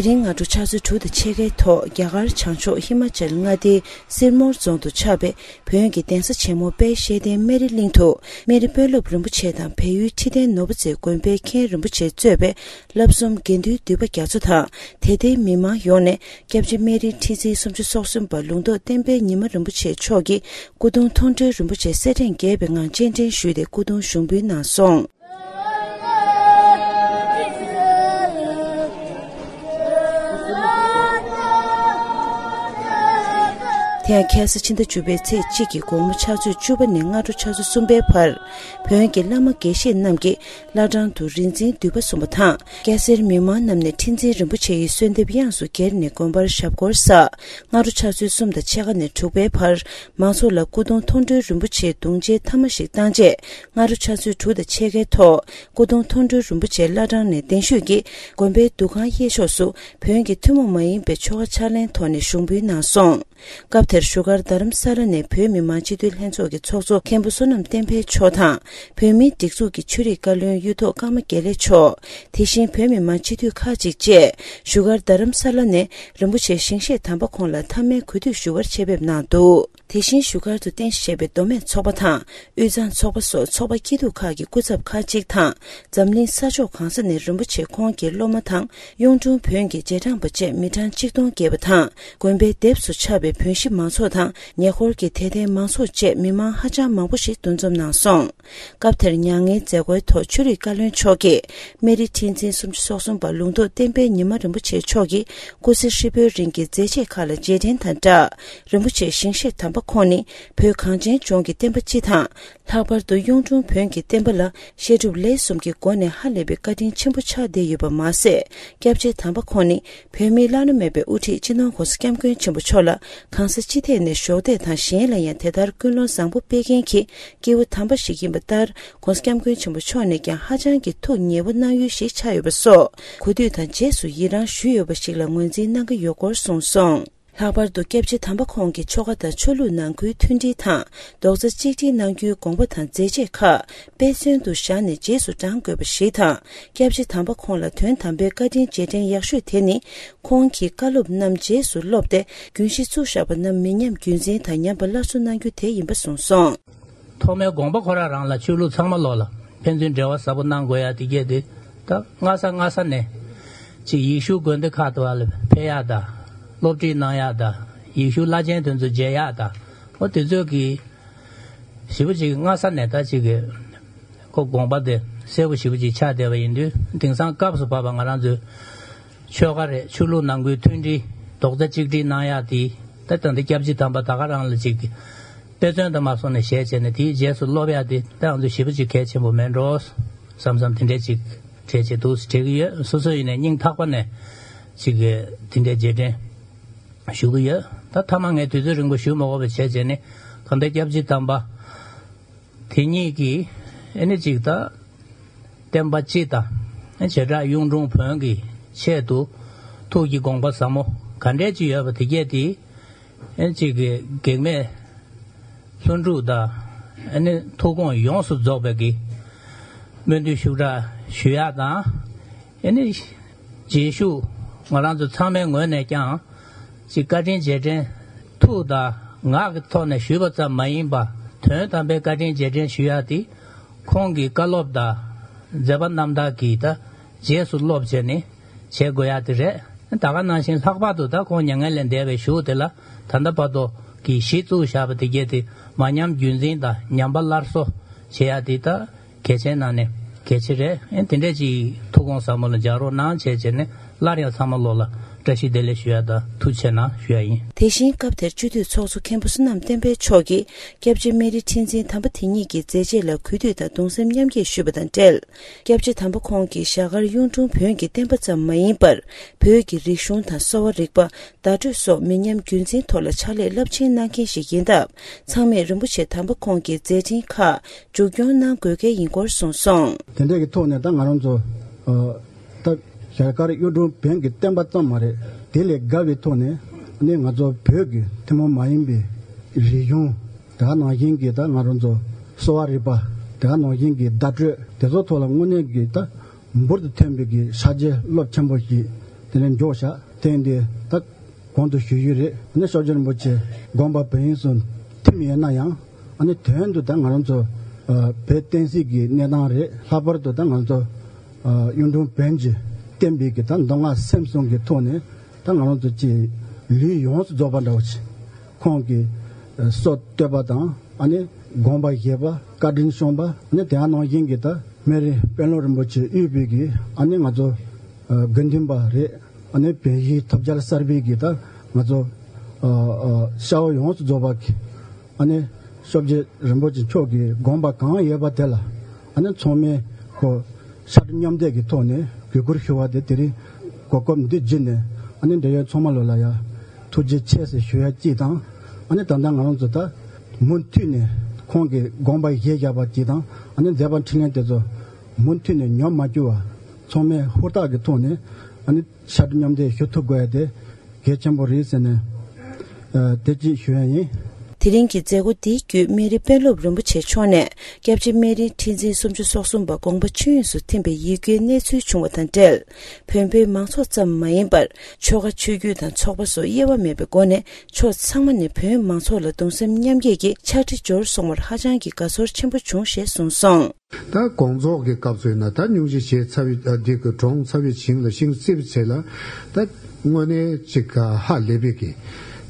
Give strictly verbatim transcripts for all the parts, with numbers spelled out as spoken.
དེ་རིང་སྔ་དྲོ་ཕྱག་ཚོད་དྲུག་དང་ཕྱེད་ཀའི་ཐོག་རྒྱ་གར་བྱང་ཕྱོགས་ཧི་མ་ཅལ་མངའ་སྡེའི་སིར་མོར་རྫོང་དུ་ཆགས་པའི་བོན་གྱི་གདན་ས་ཆེན་མོ་དཔལ་ཤེས་ལྡན་སྨན་རི་གླིང་དུ། སྨན་རི་དཔོན་སློབ་རིན་པོ་ཆེ་དང་བལ་ཡུལ་ཁྲི་བརྟན་ནོར་བུ་རྩེའི་དགོན་པའི་མཁན་རིན་པོ་ཆེ་གཙོས་པའི་བསླབ་གསུམ་དགེ་འདུན་འདུས་པ་རྒྱ་མཚོ་དང་། དད་ལྡན་མི་མང་ཡོངས་ནས་སྐྱབས་རྗེ་སྨན་རིའི་ཁྲི་འཛིན་སུམ་ཅུ་སོ་གསུམ་པ་ལུང་རྟོགས་བསྟན་འཕེལ་ཉི་མ་རིན་པོ་ཆེ་མཆོག་གི་སྐུ་གདུང་མཐོང་གྲོལ་རིན་པོ་ཆེ་སེར་ཕྲེང་བརྒྱད་པའི་ངང་སྤྱན་འདྲེན་ཞུས་ཏེ་སྐུ་གདུང་ཞུགས་འབུལ་གནང་སོང་། དེ་ཡང་ཁ་སང་ཕྱི་ཟླ་བཅུ་པའི་ཚེས་གཅིག་གི་དགོང་མོ་ཕྱག་ཚོད་བཅུ་པ་ནས་སྔ་དྲོ་ཕྱག་ཚོད་གསུམ་པའི་བར། བོན་གྱི་བླ་མ་དགེ་བཤེས་རྣམས་ཀྱིས་བླ་བྲང་དུ་རིག་འཛིན་འདུས་པ་གསུངས་པ་དང་། སྐྱ་སེར་མི་མང་རྣམས་ནས་ཁྲི་འཛིན་རིན་པོ་ཆེ་ཡི་གསོལ་འདེབས་དབྱངས་སུ་གྱེར་ནས་དགོན་པར་ཞབས་སྐོར་བསགས། སྔ་དྲོ་ཕྱག་ཚོད་གསུམ་དང་ཕྱེད་ཀ་ནས་དྲུག་པའི་བར། མང་ཚོགས་ལ་སྐུ་གདུང་མཐོང་གྲོལ་རིན་པོ་ཆེའི་གདུང་མཇལ་ཐ་མ་ཞིག་བཏང་རྗེས། སྔ་དྲོ་ཕྱག་ཚོད་དྲུག་དང་ཕྱེད་ཀའི་ཐོག་སྐུ་གདུང་མཐོང་གྲོལ་རིན་པོ་ཆེ་བླ་བྲང་ནས་གདན་ཞུས་ཀྱིས་དགོན་པའི་འདུ་ཁང་གཡས་ཕྱོགས་སུ་བོན་གྱི་ཐུན་མོང་མ་ཡིན་པའི་ཆོ་ག་ཕྱག་ལེན་ཐོག་ནས་ཞུགས་འབུལ་གནང་སོང་། སྐབས་དེར་བཞུགས་སྒར་རྡ་རམ་ས་ལ་ནས་བོད་མི་མང་སྤྱི་འཐུས་ལྷན་ཚོགས་ཀྱི་ཚོགས་གཙོ་མཁན་པོ་བསོད་ནམས་བསྟན་འཕེལ་མཆོག་དང་། བོད་མིའི་སྒྲིག་འཛུགས་ཀྱི་ཆོས་རིག་བཀའ་བློན་གཡུ་ཐོག་ཀརྨ་དགེ་ལེགས་མཆོག་དེ་བཞིན་བོད་མི་མང་སྤྱི་འཐུས་ཁག་ཅིག་བཅས་བཞུགས་སྒར་རྡ་རམ་ས་ལ་ནས་རིན་པོ་ཆེ་ཞིང་གཤེགས་དམ་པ་ཁོང་ལ་མཐའ་མའི་གུས་འདུད་ཞུ་བར་ཆེད་ཕེབས་གནང་འདུག་དེ་བཞིན་བཞུགས་སྒར་དུ་རྟེན་གཞི་བྱས་པའི་མདོ་སྨད་ཚོགས་པ་དང་། དབུས་གཙང་ཚོགས་པ་སོགས་ཚོགས་པ་སྐྱིད་སྡུག་ཁག་གི་སྐུ་ཚབ་ཁག་ཅིག་དང་། འཛམ་གླིང་ས་ཕྱོགས་གང་ས་ནས་རིན་པོ་ཆེ་ཁོང་གི་སློབ་མ་དང་། གཡུང་དྲུང་བོན་གྱི་རྗེས་འབྲང་པ་བཅས་མི་གྲངས་གཅིག་སྟོང་བརྒལ་བ་དང་། དགོན་པའི་སྡེབས་སུ་ཆགས་པའི་བོན་གཞིས་མང་ཚོགས་དང་། ཉེ་འཁོར་གྱི་དད་ལྡན་མང་ཚོགས་བཅས་མི་མང་ཧ་ཅང་མང་པོ་ཞིག་འདུ་འཛོམས་གནང་སོང་། སྐབས་དེར་མྱ་ངན་མཛད་སྒོའི་ཐོག་ཆོས་རིག་བཀའ་བློན་མཆོག་གིས། སྨན་རི་ཁྲི་འཛིན་སུམ་ཅུ་སོ་གསུམ་པ་ལུང་རྟོགས་བསྟན་འཕེལ་ཉི་མ་རིན་པོ་ཆེ་མཆོག་གིས་སྐུ་ཚེ་ཧྲིལ་པོའི་རིང་གི་མཛད་རྗེས་ཁག་ལ་རྗེས་དྲན་དང་སྦྲགས། རིན་པོ་ཆེ་ཞིང་གཤེགས་དམ་པ་ཁོང་ནི་བོད་གངས་ཅན་ལྗོངས་ཀྱི་བསྟན་པ་སྤྱི་དང་། ལྷག་པར་དུ་གཡུང་དྲུང་བོན་གྱི་བསྟན་པ་ལ་བཤད་སྒྲུབ་ལས་གསུམ་གྱི་སྒོ་ནས་ཧ་ལས་པའི་བཀའ་དྲིན་ཆེན་པོ་ཆགས་བསྡད་ཡོད་པ་མ་ཟད། སྐྱབས་རྗེ་དམ་པ་ཁོང་ནི་བོད་མིའི་བླ་ན་མེད་པའི་དབུ་ཁྲིད་སྤྱི་ནོར་༧གོང་ས་༧སྐྱབས་མགོན་ཆེན་པོ་མཆོག་ལ་གང་ས་ཅི་ཐད་ནས་གཞོགས་འདེགས་དང་གཞན་ལ་ཡང་དེ་ལྟར་ཀུན་སློང་བཟང་པོ་སྤེལ་མཁན་གྱི་སྐྱེས་བུ་དམ་པ་ཞིག་ཡིན་པ་ལྟར། ༧གོང་ས་༧སྐྱབས་མགོན་ཆེན་པོ་མཆོག་ནས་ཀྱང་ཧ་ཅང་གི་ཐུགས་ཉེ་བོ་གནང་ཡུལ་ཞིག་ཆགས་ཡོད་པ་སོགས། གུས་འདུད་དང་རྗེས་སུ་ཡི་རང་ཞུས་ཡོད་པ་ཞིག་ལ་ངོས་འཛིན་གནང་གི་ཡོད་སྐོར་གསུངས་སོང་། ལྷག་པར་དུ་སྐྱབས་རྗེ་དམ་པ་ཁོང་གི་ཆོ་ག་དང་ཆོས་ལུགས་ནང་ཁུལ་མཐུན་སྒྲིལ་དང་རྡོག་རྩ་གཅིག་སྒྲིལ་གནང་རྒྱུའི་དགོངས་པ་དང་མཛད་རྗེས་ཁག་དཔེ་མཚོན་དུ་བཞག་ནས་རྗེས་སུ་འབྲང་དགོས་པ་ཞིག་དང་། སྐྱབས་རྗེ་དམ་པ་ཁོང་ལ་དོན་དམ་པའི་བཀའ་དྲིན་རྗེས་དྲན་ཡག་ཤོས་དེ་ནི། ཁོང་གིས་བཀའ་སློབ་རྣམས་རྗེས་སུ་སློབ་སྟེ། རྒྱུན་གཞི་བཙུགས་བཞག་པ་རྣམས་མི་ཉམས་རྒྱུན་འཛིན་དང་ཉམས་པ་སླར་གསོ་གནང་རྒྱུ་དེ་ཡིན་པ་གསུངས་སོང་། ཐོག་མའི་དགོངས་པ་ཁོ་རང་རང་ལ་ཆོས་ལུགས་ཚང་མ་ལོག་ལ་ཕན་ཚུན་འབྲེལ་བ་ཟབ་པོ་གནང་དགོས་ཡ་དེ་གས་དེ། ད་སྔ་ས་སྔ་ས་ནས་ཅིག་ཡེ་ཤུ་དགོན་སྡེ་ཁག་ཏུ་བ་ལ་ཕེབས་ཡ་ད། སློབ་ཁྲིད་གནང་ཡ་ད། ཡེ་ཤུ་བླ་ཆེན་དེ་ཚོ་མཇལ་ཡ་ད། འོ་དེ་ཚོ་གི་ཞེ་པོ་ཅིག་སྔ་ས་ནས་ད་ཅིག་གི་ཁོ་དགོངས་པ་དེ་གསལ་པོ་ཞེ་པོ་ཅིག་ཆགས་བསྡད་པ་ཡིན་དུས། དེང་སང་སྐབས་སུ་བབས་པ་ང་རང་ཚོའི་ཆོལ་ཁ་རེད། ཆོས་ལུགས་ནང་ཁུལ་མཐུན་སྒྲིལ་རྡོག་རྩ་གཅིག་སྒྲིལ་གནང་ཡག་དེ། ད་ད་འདི་སྐྱབས་རྗེ་དམ་པ་ད་ག་རང་ལ་ཅིག་དཔེ་མཚོན་དུ་མ་སོང་ནས་ཞལ་བྱས་ནས་དེའི་རྗེས་སུ་སློབ་ཡག་དེ་ད་ང་ཚོ་ཞེ་པོ་ཅིག་གལ་ཆེན་པོ་མེད་འགྲོ་བསམ་བསམ་དེ་འདྲས་ཅིག་དྲན་བྱེད་འདུག་དྲན་གི་ཡོད། སོ་སོ་ཡིན་ནས་སྙིང་ཐག་པ་ནས་ཅིག་དེ་འདྲས་རྗེས་དྲན་ཞུ་གི་ཡོད། ད་མཐའ་མ་ངས་དུས་ཚོད་རིང་པོ་ཞུ་མ་དགོས་པ་བྱས་བྱས་ནས། གང་ལྟར་སྐྱབས་རྗེ་དམ་པ་དེ་ཉིད་ཀྱིས་ཨེ་ནི་ཅིག་ད་བསྟན་པ་སྤྱི་དང་བྱེ་བྲག་གཡུང་དྲུང་བོན་གྱི་ཆེད་དུ་ཐུགས་ཀྱི་དགོངས་པ་ཟབ་མོ་ག་འདྲས་ཅིག་ཡོད་པ་དེ་གས་དེ་ཨེ་ནི་ཅིག་གི་གེགས་མེད་ལྷུན་གྲུབ་དང་། ཨེ་ནི་ཐུགས་དགོངས་ཡོངས་སུ་རྫོགས་པའི་གི་སྨོན་འདུན་ཤུགས་དྲག་ཞུ་ཡག་དང་། ཨེ་ནི་རྗེས་ཤུགས་ང་རང་ཚོ་ཚང་མའི་ངོས་ནས་ཀྱང་ཅིག་བཀའ་དྲིན་རྗེས་དྲན་ཐུགས་དང་ངག་གི་ཐོག་ནས་ཞུས་པ་ཙམ་མ་ཡིན་པ། དོན་དམ་པའི་བཀའ་དྲིན་རྗེས་དྲན་ཞུ་ཡག་དེ་ཁོང་གི་བཀའ་སློབ་དང་མཛད་པ་རྣམ་དག་གིས་ད་རྗེས་སུ་སློབ་བྱས་ནས་བྱེད་དགོས་ཡག་དེ་རེད། ད་ག་ནང་བཞིན་ལྷག་པར་དུ་ད་ཁོང་མྱ་ངན་ལས་འདས་པའི་གཞུག་དེ་ལ་ད་ལྟ་བར་དུ་གི་གཞི་བཙུགས་བཞག་པ་དེ་གས་དེ་མ་ཉམས་རྒྱུན་འཛིན་དང་ཉམས་པ་སླར་གསོ་བྱེད་ཡག་དེ་ད་གལ་ཆེན་ནང་ནས་གལ་ཆེ་རེད། ཨེ་དེ་འདྲས་ཅིག་ཐུགས་དགོངས་ཟབ་མོ་ལ་འཇགས་རོགས་གནང་བྱས་བྱས་ནས་སླར་ཡང་ཚང་མ་ལོག་ལ་བཀྲ་ཤིས་བདེ་ལེགས་ཞུ་ཡག་དང་ཐུགས་རྗེ་གནང་ཞུ་ཡག་ཡིན། དེ་བཞིན་སྐབས་དེར་སྤྱི་འཐུས་ཚོགས་གཙོ་མཁན་པོ་བསོད་ནམས་བསྟན་འཕེལ་མཆོག་གིས་སྐྱབས་རྗེ་སྨན་རི་ཁྲི་འཛིན་དམ་པ་དེ་ཉིད་ཀྱི་མཛད་རྗེས་ལ་གུས་འདུད་དང་གདུང་སེམས་མཉམ་སྐྱེད་ཞུས་པ་དང་འབྲེལ། སྐྱབས་རྗེ་དམ་པ་ཁོང་གིས་རྒྱ་གར་གཡུང་དྲུང་བོན་གྱི་བསྟན་པ་ཙམ་མ་ཡིན་པར། བོད་ཀྱི་རིག་གཞུང་དང་གསོ་བ་རིག་པ། བརྡ་སྤྲོད་སོགས་མི་ཉམས་རྒྱུན་འཛིན་ཐོག་ལ་ཕྱག་ལས་རླབས་ཆེན་གནང་མཁན་ཞིག་ཡིན་སྟབས། ཚང་མས་རིན་པོ་ཆེ་དམ་པ་ཁོང་གི་མཛད་འཕྲིན་ཁག་མཇུག་སྐྱོང་གནང་དགོས་གལ་ཡིན་སྐོར་གསུངས་སོང་། དེ་འདྲ་གི་ཐོག་ནས་ད་ང་རང་ཚོ་ཨ་ད་རྒྱ་གར་གཡུང་དྲུང་བོན་གྱི་བསྟན་པ་ཙམ་མ་རེད། དེ་ལས་བརྒལ་བའི་ཐོག་ནས་ནི་ང་ཚོ་བོད་ཀྱི་ཐུན་མོང་མ་ཡིན་པའི་རིག་གཞུང་། དེ་ག་ནང་བཞིན་གྱི་ད་ང་རང་ཚོ་གསོ་བ་རིག་པ། དེ་ག་ནང་བཞིན་གྱི་བརྡ་སྤྲོད་དེ་ཚོ་ཐོག་ལ་དངོས་གནས་ཀྱི་ད་འབུར་དུ་ཐོན་པའི་གི་ཕྱག་རྗེས་རླབས་ཆེན་པོ་ཞིག་ དེ་ནས་མགྱོགས་བཞག་དེ་འདི་ད་གོང་དུ་ཞུ་རྒྱུ་རེད། ཨ་ནི་ཤོག་སྦྱོར་རིན་པོ་ཆེ་དགོངས་པ་བོད་དབྱིངས་སུ་ཐིམ་ཡོད་ན་ཡང་། ཨ་ནི་དོན་དུ་ད་ང་རང་ཚོ་ཨ་བོད་བསྟན་སྲིད་ཀྱི་གནས་སྟངས་རེད། ལྷག་པར་དུ་ད་ང་ཚོ་ཨ་གཡུང་དྲུང་བོན་གྱི་བསྟན་པའི་གི་ད་མདོ་སྔགས་སེམས་གསུམ་གྱི་ཐོག་ནས་ད་ང་རང་ཚོ་ཅིག་ལུས་ཡོངས་སུ་རྫོགས་པ་འདྲ་བོ་ཅིག་ཁོང་གི་ཨ་སྲོལ་གཏོད་པ་དང་། ཨ་ནི་དགོངས་པ་བཞེས་པ། བཀའ་དྲིན་བསྐྱངས་པ། ཨ་ནི་དེ་ནང་བཞིན་གྱི་ད་སྨན་རི་དཔོན་སློབ་རིན་པོ་ཆེ་དབུས་པའི་གི་ཨ་ནི་ང་ཚོ་ཨ་དགེ་འདུན་པ་རེད། ཨ་ནི་བོན་གཞིས་ཐོབ་རྒྱལ་གསར་པའི་གི་ད་ང་ཚོ་ཨ་ཨ་ཤ་བོ་ཡོངས་སུ་རྫོགས་པ་གི་ཨ་ནི་ཤོག་སྦྱོར་རིན་པོ་ཆེ་མཆོག་གི་དགོངས་པ་གང་ཡོད་པ་དེ་ལ་ཨ་ནི་ཚང་མས་ཁོ་ཕྱག་སྦྲེལ་མཉམ་འདེགས་ཀྱི་ཐོག་ནས་གུས་བཀུར་ཞུ་བ་དེ་དེ་རིང་གོ་སྐབས་འདི་བརྒྱུད་ནས་ཨ་ནི་འབྲེལ་ཡོད་ཚང་མ་ལོ་ལ་ཡ་ཐུགས་རྗེ་ཆེ་ཟེར་ཞུ་ཡ་གཅིག་དང་། ཨ་ནི་ད་ལྟ་ང་རང་ཚོ་ད་མུ་མཐུད་ནས་ཁོང་གི་དགོངས་པ་བཞེས་བཞག་པ་གཅིག་དང་། ཨ་ནི་མཛད་པ་འཕྲིན་ལས་དེ་ཚོ་མུ་མཐུད་ནས་ཉམས་མ་བཅུག་པ་ཚང་མས་ཧུར་ཐག་གི་ཐོག་ནས་ཨ་ནི་ཕྱག་སྦྲེལ་མཉམ་འདེགས་ཞུ་ཐུབ་དགོས་ཡ་དེ་གལ་ཆེན་པོ་རེད་ཟེར་ནས་ཨ་དེ་གཅིག་ཞུ་ཡ་ཡིན། དེ་རིང་གི་མཛད་སྒོ་འདིའི་བརྒྱུད་སྨན་རི་དཔོན་སློབ་རིན་པོ་ཆེ་མཆོག་ནས་སྐྱབས་རྗེ་སྨན་རིའི་ཁྲི་འཛིན་སུམ་ཅུ་སོ་གསུམ་པ་དགོངས་པ་ཆོས་དབྱིངས་སུ་ཐིམ་པའི་ཡིད་སྐྱོའི་གནས་ཚུལ་བྱུང་བ་དང་འབྲེལ། བོན་པོའི་མང་ཚོགས་ཙམ་མ་ཡིན་པར་ཆོལ་ཁ་ཆོས་བརྒྱུད་དང་ཚོགས་པ་སོགས་དབྱེ་བ་མེད་པའི་སྒོ་ནས་ཕྱོགས་ཚང་མ་ནས་བོན་མང་ཚོགས་ལ་གདུང་སེམས་མཉམ་སྐྱེད་ཀྱི་ཕྱག་བྲིས་འབྱོར་སོང་བར་ཧ་ཅང་གི་དགའ་ཚོར་ཆེན་པོ་བྱུང་ཞེས་གསུངས་སོང་། ད་དགོང་ཚོགས་ཀྱི་སྐབས་སུ་ཡིན་ན་ད་སྙུང་གཞི་བྱས་ཚར་བའི་ཨ་འདི་གི་གྲོངས་ཚར་བའི་ཞིང་ལ་ཤིང་བརྩིགས་པའི་ཚེ་ལ་ད་དངོས་གནས་ཅིག་ཧ་ལས་པའི་གི་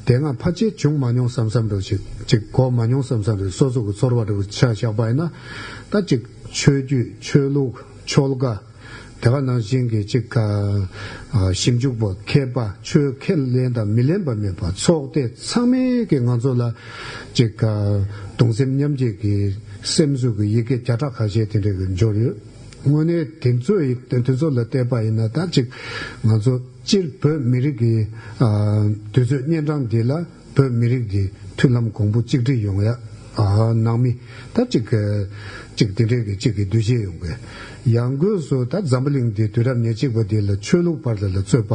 དེ་སྔ་ཕལ་ཆེར་བྱུང་མ་མྱོང་བསམ་བསམ་འདྲ་བོ་ཅིག་ཅིག་གོ་མ་མྱོང་བསམ་བསམ་རེད། སོ་སོ་གི་ཚོར་བ་འདྲ་བོ་ཆ་བཞག་པ་ཡིན་ན་ད་ཅིག་ཆོས་བརྒྱུད་ཆོས་ལུགས་ཆོལ་ཁ་དེ་ག་ནང་བཞིན་གྱི་ཅིག་ཨ་ཞིབ་འཇུག་པ་མཁས་པ་ཆོས་ཁས་ལེན་དང་མི་ལེན་པ་མེད་པ་ཚོགས་སྡེ་ཚང་མས་ཀྱི་ང་ཚོ་ལ་ཅིག་གདུང་སེམས་མཉམ་སྐྱེད་ཀྱི་སེམས་གསོ་གི་ཡི་གེ་བརྒྱ་ཕྲག་ཁ་ཤས་དེ་འདྲ་གི་འབྱོར་ཡོད། དངོས་གནས་དེ་ཚོ་ཡི་དེ་ཚོ་ལ་བལྟས་པ་ཡིན་ན་ད་ཅིག་ང་ཚོ་སྤྱིར་བོད་མི་རིགས་ཀྱི་ཨ་དུས་ཚོད་གཉན་འཕྲང་འདི་ལ་བོད་མི་རིགས་ཀྱི་མཐུན་ལམ་གོང་བུ་གཅིག་སྒྲིལ་ཡོང་ཡ་ཨ་ནང་མི་ད་ཅིག་ཅིག་དེ་འདྲས་ཀྱི་ཅིག་གི་འདུ་ཤེས་ཡོང་གི། ཡང་སྒོས་སུ་ད་འཛམ་བུ་གླིང་འདི་དུས་རབས་ཉེར་གཅིག་པ་འདི་ལ་ཆོས་ལུགས་བར་ལ་ལ་རྩོད་པ།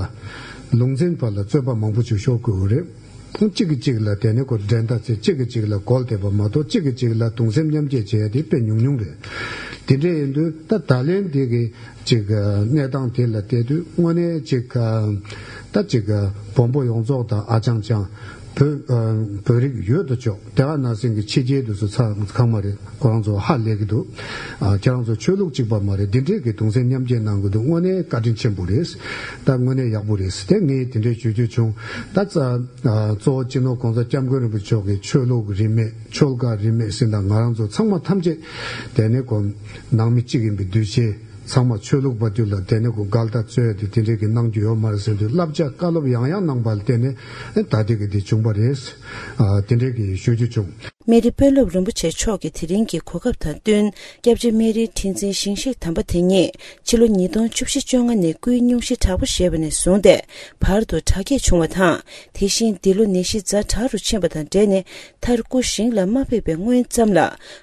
ལུང་ཚན་བར་ལ་རྩོད་པ་མང་པོ་ཅིག་ཤོར་དགོས་རེད། གཅིག་གིས་གཅིག་ལ་དེ་ནས་ཁོ་འགྲན་ཟླ་བྱེད། གཅིག་གིས་གཅིག་ལ་རྒོལ་བསྡད་པ་མ་གཏོགས་གཅིག་གིས་གཅིག་ལ་གདུང་སེམས་མཉམ་སྐྱེད་བྱེད་ཡ་དེ་དཔེ་ཉུང་ཉུང་རེད། དེ་འདྲས་ཡིན་དུས་ད་ད་ལན་འདི་གི་ཅིག་གནས་སྟངས་དེ་ལ་བལྟས་དུས་དངོས་གནས་ཅིག་ད་ཅིག་བོན་པོ་ཡོངས་རྫོགས་དང་ཨ་ཅང་ཅང་བོད་བོད་རིགས་ཡོད་དོ་ཅོག་དེ་ག་ནང་བཞིན་གྱི་ཕྱི་རྒྱལ་དུ་སུ་ཚང་ཚང་མ་རེད། ཁོ་རང་ཚོ་ཧ་ལས་ཀྱི་འདུག་ཨ་ཁྱེད་རང་ཚོ་ཆོས་ལུགས་གཅིག་པ་མ་རེད། འདི་འདྲས་ཀྱི་གདུང་སེམས་མཉམ་སྐྱེད་གནང་གི་འདུག་དངོས་གནས་བཀའ་དྲིན་ཆེན་པོ་རེད། ད་དངོས་གནས་ཡག་པོ་རེད། དེ་ངས་དེ་འདྲས་ཞུ་རྒྱུ་བྱུང་། ད་ཙ་གཙོ་བོ་སྤྱི་ནོར་གོང་ས་སྐྱབས་མགོན་རིན་པོ་ཆེ་མཆོག་གིས་ཆོས་ལུགས་རིས་མེད་ཆོལ་ཁ་རིས་མེད་ཟིན་དང་ང་རང་ཚོ་ཚང་མ་ཐམས་ཅད་དེ་ནས་ཁོ་ནང་མི་གཅིག་ཡིན་པའི་འདུ་ཤེས། ཚང་མ་ཆོས་ལུགས་པ་དུས་ལ་དེ་ནས་ཁོ་འགལ་ཟླ་རྩོད་དེ་དེ་འདྲས་ཀྱི་གནང་རྒྱུ་ཡོད་མ་རེད་ཟེར་དུས་བསླབ་བྱ་བཀའ་སློབ་ཡང་ཡང་གནང་པ་ལ་བརྟེན་ནས་ད་ལྟའི་གི་འདི་བྱུང་བ་རེད། ཨ་དེ་འདྲས་ཀྱི་ཞུ་རྒྱུ་བྱུང་། སྨན་རི་དཔོན་སློབ་རིན་པོ་ཆེ་མཆོག་གིས་དེ་རིང་གི་གོ་སྐབས་དང་བསྟུན་སྐྱབས་རྗེ་སྨན་རིའི་ཁྲི་འཛིན་ཞིང་གཤེགས་དམ་པ་དེ་ཉིད་ཕྱི་ལོ་ཉིས་སྟོང་བཅུ་བཞི་བཅོ་ལྔ་ནས་སྐུའི་སྙུང་གཞི་དྲག་པོ་བཞེས་པ་ནས་བཟུང་སྟེ་བར་དུ་དྲག་སྐྱེད་བྱུང་བ་དང་། དེ་བཞིན་འདི་ལོ་ནད་གཞི་ཛ་དྲག་རུ་ཕྱིན་པ་དང་འབྲེལ་ནས་མཐར་སྐུ་ཞིང་ལ་མ་ཕེབས་པའི་སྔོན་ཙམ་ལ་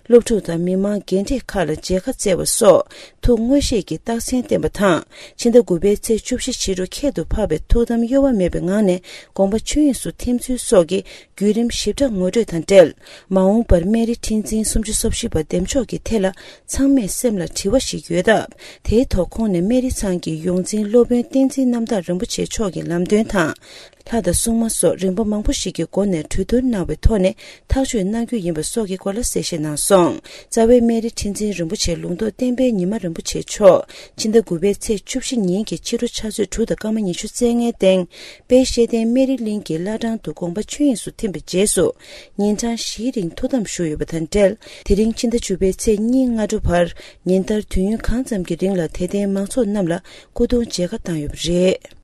སློབ་ཕྲུག་དང་མི་མང་རྒན་གྲས་ཁག་ལ་མཇལ་ཁ་བསྩལ་བ་སོགས་ཐུགས་མངོན་ཤེས་ཀྱི་རྟགས་མཚན་བསྟན་པ་དང་། ཕྱི་ཟླ་དགུ་པའི་ཚེས་བཅུ་བཞི་ཕྱི་དྲོ་ཁྱད་དུ་འཕགས་པའི་ཐུགས་དམ་གཡོ་བ་མེད་པའི་ངང་ནས་དགོངས་པ་ཆོས་དབྱིངས་སུ་ཐིམ་ཚུལ་སོགས་ཀྱི་བརྒྱུད་རིམ་ཞིབ་ཕྲ་ངོ་སྤྲོད་དང་འབྲེལ། མ་འོངས་པར་སྨན་རི་ཁྲི་འཛིན་སུམ་ཅུ་སོ་བཞི་པ་འདེམས་འཇོག་གི་ཐད་ལ་ཚང་མས་སེམས་ལ་དྲི་བ་ཞིག་ཡོད་སྟབས། དེའི་ཐོག་ཁོང་ནས་སྨན་རི་ཚང་གི་ཡོངས་འཛིན་སློབ་དཔོན་བསྟན་འཛིན་རྣམ་དག་རིན་པོ་ཆེ་མཆོག་གི་ལམ་སྟོན་དང་། ལྷ་དང་སྲུང་མ་སོགས་རིམ་པ་མང་པོ་ཞིག་གི་སྒོ་ནས་གྲོས་བསྡུར་གནང་བའི་ཐོག་ནས་ཐག་གཅོད་གནང་རྒྱུ་ཡིན་པ་སོགས་ཀྱི་སྐོར་ལ་གསལ་བཤད་གནང་སོང་། རྩ་བའི་སྨན་རི་ཁྲི་འཛིན་རིན་པོ་ཆེ་ལུང་རྟོགས་བསྟན་པའི་ཉི་མ་རིན་པོ་ཆེ་མཆོག་ཕྱི་ཟླ་དགུ་པའི་ཚེས་བཅུ་བཞི་ཉིན་གྱི་ཕྱི་དྲོ་ཕྱག་ཚོད་དྲུག་དང་སྐར་མ་ཉི་ཤུ་རྩ་ལྔའི་སྟེང་དཔལ་ཤེས་ལྡན་སྨན་རི་གླིང་གི་བླ་བྲང་དུ་དགོངས་པ་ཆོས་དབྱིངས་སུ་ཐིམ་པའི་རྗེས་སུ་ཉིན་གྲངས་བཞིའི་རིང་ཐུགས་དམ་བཞུགས་ཡོད་པ་དང་འབྲེལ། དེ་རིང་ཕྱི་ཟླ་བཅུ་པའི་ཚེས་གཉིས་སྔ་དྲོ་བར་ཉིན་ལྟར་དུས་ཡུན་གང་ཙམ་གྱི་རིང་ལ་དད་ལྡན་མང་ཚོགས་རྣམས་ལ་སྐུ་གདུང་མཇལ་ཁ་བཏང་ཡོད་པ་རེད།